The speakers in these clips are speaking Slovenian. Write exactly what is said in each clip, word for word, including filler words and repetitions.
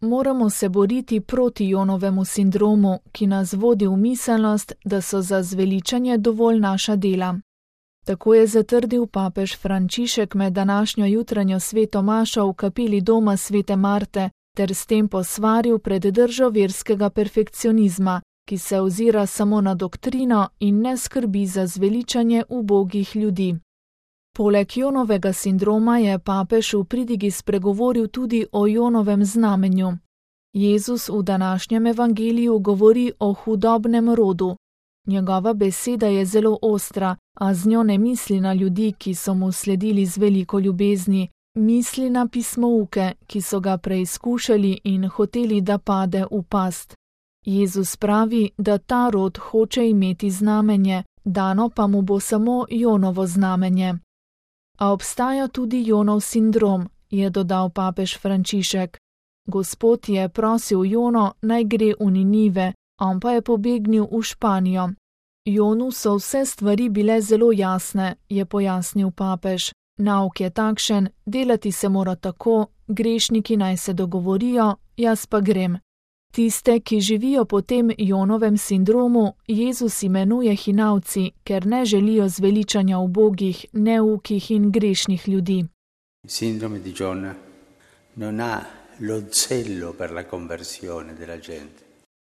moramo se boriti proti Jonovemu sindromu, ki nas vodi v miselnost, da so za zveličanje dovolj naša dela. Tako je zatrdil papež Frančišek med današnjo jutranjo sveto mašo v kapeli doma svete Marte ter s tem posvaril pred držo verskega perfekcionizma, ki se ozira samo na doktrino in ne skrbi za zveličanje ubogih ljudi. Poleg Jonovega sindroma je papež v pridigi spregovoril tudi o Jonovem znamenju. Jezus v današnjem evangeliju govori o hudobnem rodu. Njegova beseda je zelo ostra, a z njo ne misli na ljudi, ki so mu sledili z veliko ljubezni, misli na pismouke, ki so ga preizkušali in hoteli, da pade v past. Jezus pravi, da ta rod hoče imeti znamenje, dano pa mu bo samo Jonovo znamenje. A obstaja tudi Jonov sindrom, je dodal papež Frančišek. Gospod je prosil Jono, naj gre v Ninive, on pa je pobegnil v Španijo. Jonu so vse stvari bile zelo jasne, je pojasnil papež. Nauk je takšen, delati se mora tako, grešniki naj se dogovorijo, jaz pa grem. Tiste, ki živijo po tem Jonovem sindromu, Jezus imenuje hinavci, ker ne želijo zveličanja ubogih, neukih in grešnih ljudi. Sindrome di Giona non ha lo zelo per la conversione della gente.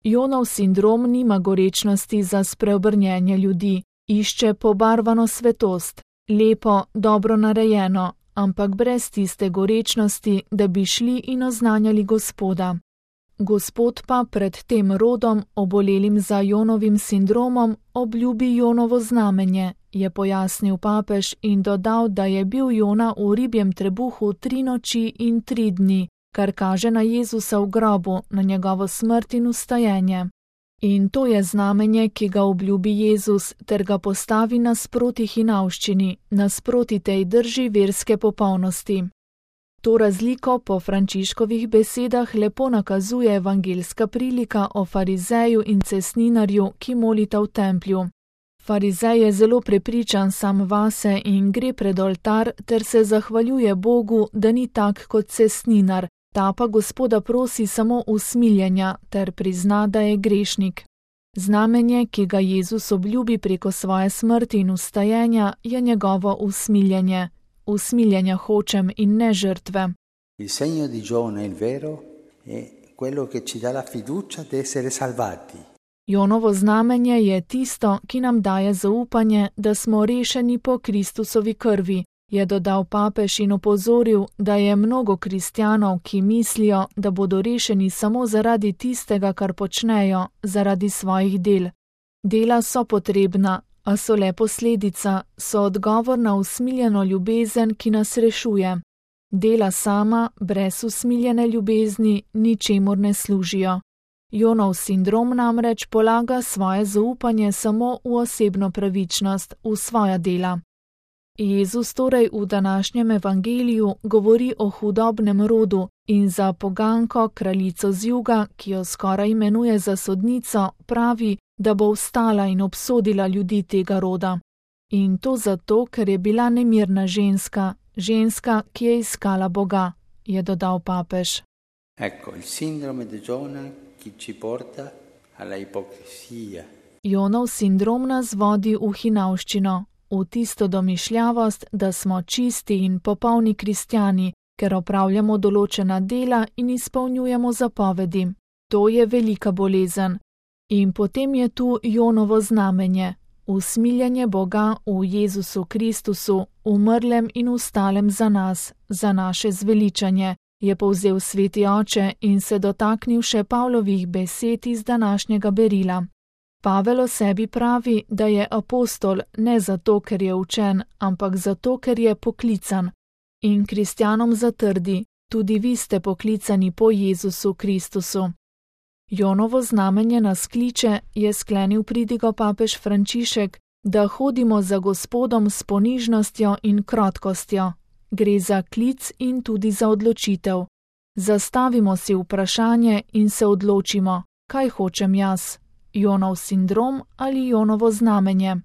Jonov sindrom nima gorečnosti za spreobrnjenje ljudi, išče pobarvano svetost, lepo, dobro narejeno, ampak brez tiste gorečnosti, da bi šli in oznanjali Gospoda. Gospod pa pred tem rodom, obolelim za Jonovim sindromom, obljubi Jonovo znamenje, je pojasnil papež in dodal, da je bil Jona v ribjem trebuhu tri noči in tri dni, kar kaže na Jezusa v grobu, na njegovo smrt in vstajenje. In to je znamenje, ki ga obljubi Jezus, ter ga postavi nasproti hinavščini, nasproti tej drži verske popolnosti. To razliko po Frančiškovih besedah lepo nakazuje evangeljska prilika o farizeju in cestninarju, ki molita v templju. Farizej je zelo prepričan sam vase in gre pred oltar ter se zahvaljuje Bogu, da ni tak kot cestninar, ta pa Gospoda prosi samo usmiljenja ter prizna, da je grešnik. Znamenje, ki ga Jezus obljubi preko svoje smrti in vstajenja, je njegovo usmiljenje. Usmiljenja hočem in ne žrtve. Il segno di Giona, il vero, è quello che ci dà la fiducia di essere salvati. Jonovo znamenje je tisto, ki nam daje zaupanje, da smo rešeni po Kristusovi krvi, je dodal papež in opozoril, da je mnogo kristjanov, ki mislijo, da bodo rešeni samo zaradi tistega, kar počnejo, zaradi svojih del. Dela so potrebna, a so le posledica, so odgovor na usmiljeno ljubezen, ki nas rešuje. Dela sama, brez usmiljene ljubezni, ničemur ne služijo. Jonov sindrom namreč polaga svoje zaupanje samo v osebno pravičnost, v svoja dela. Jezus torej v današnjem evangeliju govori o hudobnem rodu in za poganko, kraljico z juga, ki jo skoraj imenuje za sodnico, pravi, da bo vstala in obsodila ljudi tega roda. In to zato, ker je bila nemirna ženska, ženska, ki je iskala Boga, je dodal papež. Ecco, il sindrome di Giona che ci porta alla ipocrisia. Jonov sindrom nas vodi v hinavščino, v tisto domišljavost, da smo čisti in popolni kristjani, ker opravljamo določena dela in izpolnjujemo zapovedi. To je velika bolezen. In potem je tu Jonovo znamenje, usmiljanje Boga v Jezusu Kristusu, umrlem in vstalem za nas, za naše zveličanje, je povzel sveti oče in se dotaknil še Pavlovih besed iz današnjega berila. Pavel o sebi pravi, da je apostol ne zato, ker je učen, ampak zato, ker je poklican. In kristjanom zatrdi, tudi vi ste poklicani po Jezusu Kristusu. Jonovo znamenje nas kliče, je sklenil pridigo papež Frančišek, da hodimo za Gospodom s ponižnostjo in krotkostjo. Gre za klic in tudi za odločitev. Zastavimo si vprašanje in se odločimo, kaj hočem jaz, Jonov sindrom ali Jonovo znamenje.